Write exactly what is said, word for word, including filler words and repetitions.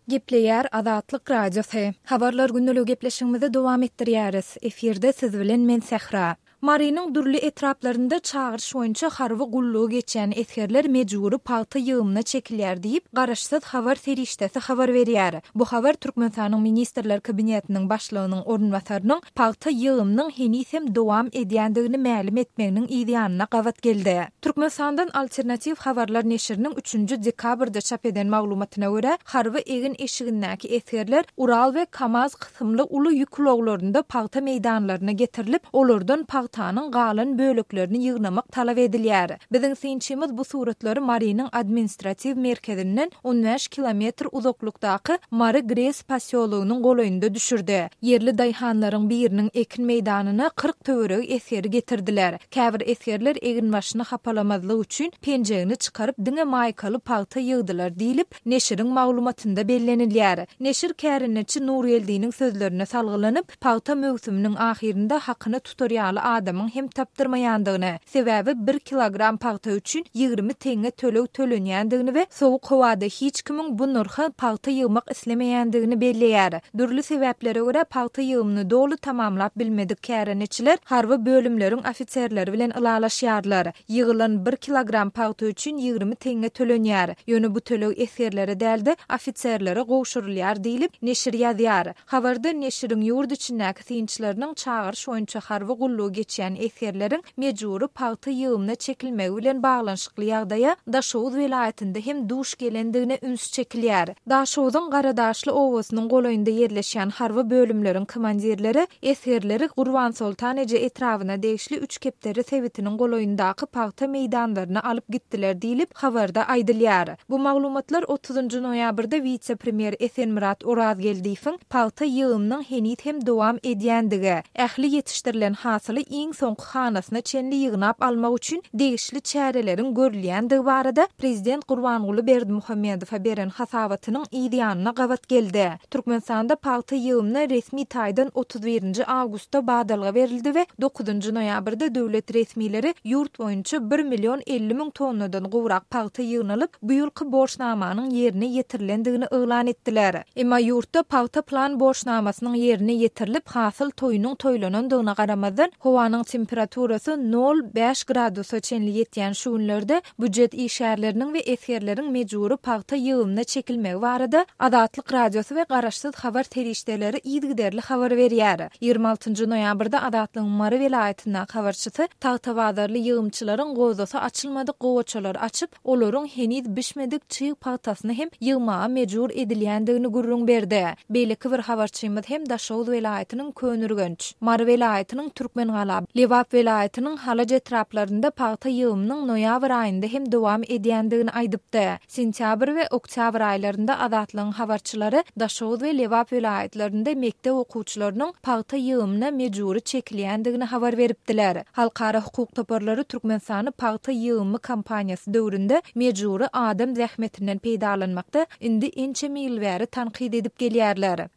Gepleýär Azatlyk Radiosy. Habarlar gündeligi gepleşigimizi dowam etdirýäris. Efirde siz bilen men Sähra. Marynyň dürli etraplarynda çagyryş boýunça harby gullugy geçýän esgerler mejbury pagta ýygymyna çekilýär diýip, garaşsyz habar serişdesi habar berýär. Bu habar Türkmenistanyň Ministrler Kabinetiniň başlygynyň orunbasarynyň pagta ýygymynyň heniz hem dowam edýändigini mälim etmeginiň yz ýanyna gabat geldi. Türkmenistandan Alternatiw habarlar neşiriniň üçünji dekabrda çap eden maglumatyna görä, harby egin-eşigindäki esgerler Ural we Kamaz kysymly uly ýük ulaglarynda pagta meýdanlaryna getirilip, olardan pagtanyň galan böleklerini ýygnamak talap edilýär. Biziň synçymyz bu suratlary Marynyň administratiw merkezinden on bäş kilometr uzaklykdaky Mary GRES posýologynyň golaýynda düşürdi. Ýerli daýhanlaryň biriniň ekin meýdanyna kyrk töweregi esgeri getirdiler. Käbir esgerler eginbaşyny hapalamazlyk üçin penjegini çykaryp diňe maýkaly pagta ýygdylar diýlip, neşiriň maglumatynda bellenilýär. Neşir kärendeçi Nurgeldiniň sözlerine salgylanyp, pagta möwsüminiň ahyrynda hakyny tutar ýaly adamyň hem tapdyrmaýandygyny, sebäbi bir kilogram pagta üçin ýigrimi teňňe töleg tölenýändigini we sowuk howada hiç kimiň bu nyrha pagta ýygmak islemeýändigini belleýär. Dürli sebäplere görä pagta ýygymyny doly tamamlap bilmedik kärendeçiler harby bölümleriň ofiserleri bilen ylalaşýarlar. Ýygylan bir kilogram pagta üçin ýigrimi teňňe tölenýär. Ýöne bu töleg esgerlere däl-de ofiserlere gowşurylýar diýlip, neşir ýazýar. Habarda neşiriň ýurt içindäki synçylarynyň çagyryş boýunça harby gullugy geçýän esgerleriň mejbury pagta ýygymyna çekilmegi bilen baglanyşykly ýagdaýa Daşoguz welaýatynda hem duş gelendigine üns çekilýär. Daşoguzyň Garadaşly obasynyň golaýynda ýerleşýän harby bölümleriň komandirleri esgerleri Gurbansoltan eje etrabyna degişli üç kepderi sebitiniň golaýyndaky pagta meýdanlaryna alyp gitdiler diýlip, habarda aýdylýar. Bu maglumatlar otuzynjy noýabrda wise-premýer Esenmyrat Orazgeldiýewiň pagta ýygymynyň heniz hem dowam edýändigi, ähli ýetişdirilen hasyly iň soňky hanasyna çenli ýygnap almak üçin degişli çäreleriň görülýändigi barada Prezident Gurbanguly Berdimuhamedowa beren hasabatynyň yz ýanyna gabat geldi. Türkmenistanda pagta ýygymyna resmi taýdan otuz birinji awgustda badalga berildi we dokuzynjy noýabrda döwlet resmileri ýurt boýunça bir million elli müň tonnadan gowrak pagta ýygnalyp, bu ýylky borçnamanyň ýerine ýetirilendigini yglan etdiler. Emma ýurtda pagta plan borçnamasynyň ýerine ýetirilip, hasyl toýunyň toýlanandygyna garamazdan, howanyň temperaturasy nol bäş gradusa çenli ýetýän şu günlerde býujet işgärleriniň we esgerleriň mejbury pagta ýygymyna çekilmegi barada Azatlyk Radiosy we garaşsyz habar serişdeleri yzygiderli habar berýär. Ýigrimi altynjy noýabrda Azatlygyň Mary welaýatyndaky habarçysy Tagtabazarly ýygymçylaryň gozasy açylmadyk gowaçalary açyp, olaryň heniz bişmedik çyg pagtasyny hem ýygmaga mejbur edilýändigini gürrüň berdi. Beýleki bir habarçymyz hem Daşoguz welaýatynyň Köneürgenç, Mary welaýatynyň Türkmengala, Lebap welaýatynyň Halaç etraplarynda pagta ýygymynyň noýabr aýynda hem dowam edýändigini aýdypdy. Sentýabr we oktýabr aýlarynda Azatlygyň habarçylary Daşoguz we Lebap welaýatlarynda mekdep okuwçylarynyň pagta ýygymyna mejbury çekilýändigini habar beripdiler. Halkara hukuk toparlary Türkmenistany pagta ýygymy kampaniýasy döwründe mejbury adam zähmetinden peýdalanmakda indi ençeme ýyl bäri tankyt edip gelýärler.